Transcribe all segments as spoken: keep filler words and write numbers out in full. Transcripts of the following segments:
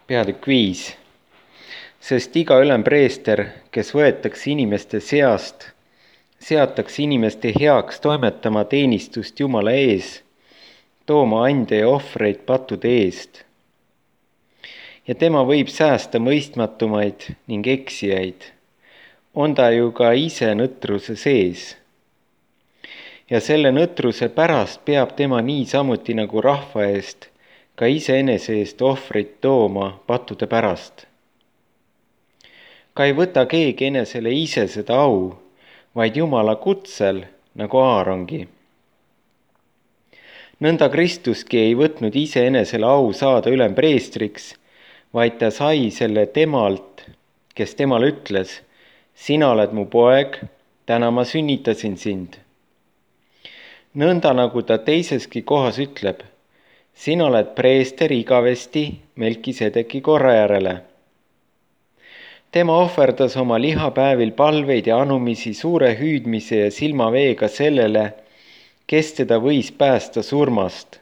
Peatükk viis. Sest iga ülempreester, kes võetakse inimeste seast, seatakse inimeste heaks toimetama teenistust Jumala ees, tooma ande ja ohvreid pattude eest. Ja tema võib säästa mõistmatumaid ning eksijaid. On ta ju ka ise nõtruse sees. Ja selle nõtruse pärast peab tema niisamuti nagu rahva eest ka iseenese eest ohvrit tooma pattude pärast. Ka ei võta keegi enesele ise seda au, vaid Jumala kutsel nagu Aarongi. Nõnda Kristuski ei võtnud iseenesele au saada ülempreestriks, vaid ta sai selle temalt, kes temal ütles: sina oled mu poeg, täna ma sünnitasin sind. Nõnda nagu ta teiseski kohas ütleb: sina oled preester igavesti Melkisedeki korra järele. Tema ohverdas oma lihapäevil palveid ja anumisi suure hüüdmise ja silmaveega sellele, kes teda võis päästa surmast.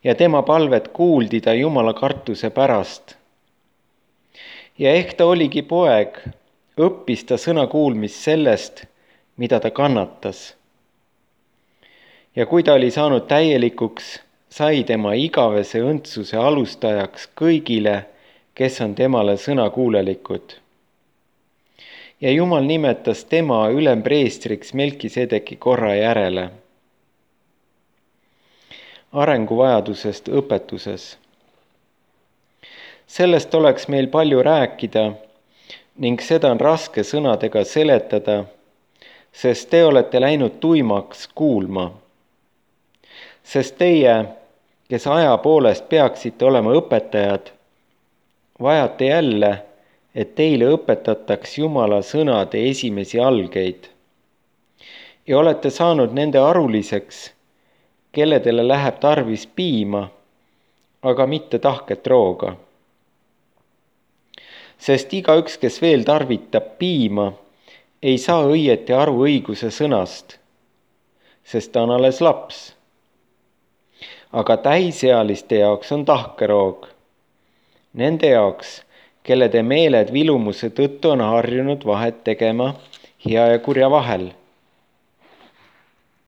Ja tema palvet kuuldi ta Jumala kartuse pärast. Ja ehk ta oligi poeg, õppis ta sõna kuulmist sellest, mida ta kannatas. Ja kui ta oli saanud täielikuks, sai tema igavese õndsuse alustajaks kõigile, kes on temale sõnakuulelikud. Ja Jumal nimetas tema ülempreestriks Melkisedeki korra järele. Arenguvajadusest õpetuses. Sellest oleks meil palju rääkida ning seda on raske sõnadega seletada, sest te olete läinud tuimaks kuulma. Sest teie, kes aja poolest peaksite olema õpetajad, vajate jälle, et teile õpetataks Jumala sõnade esimesi algeid. Ja olete saanud nende aruliseks, kelledele läheb tarvis piima, aga mitte tahket rooga. Sest igaüks, kes veel tarvitab piima, ei saa õieti aru õiguse sõnast, sest ta on alles laps. Aga täisealiste jaoks on tahkeroog. Nende jaoks, kelle te meeled vilumuse tõttu on harjunud vahet tegema hea ja kurja vahel.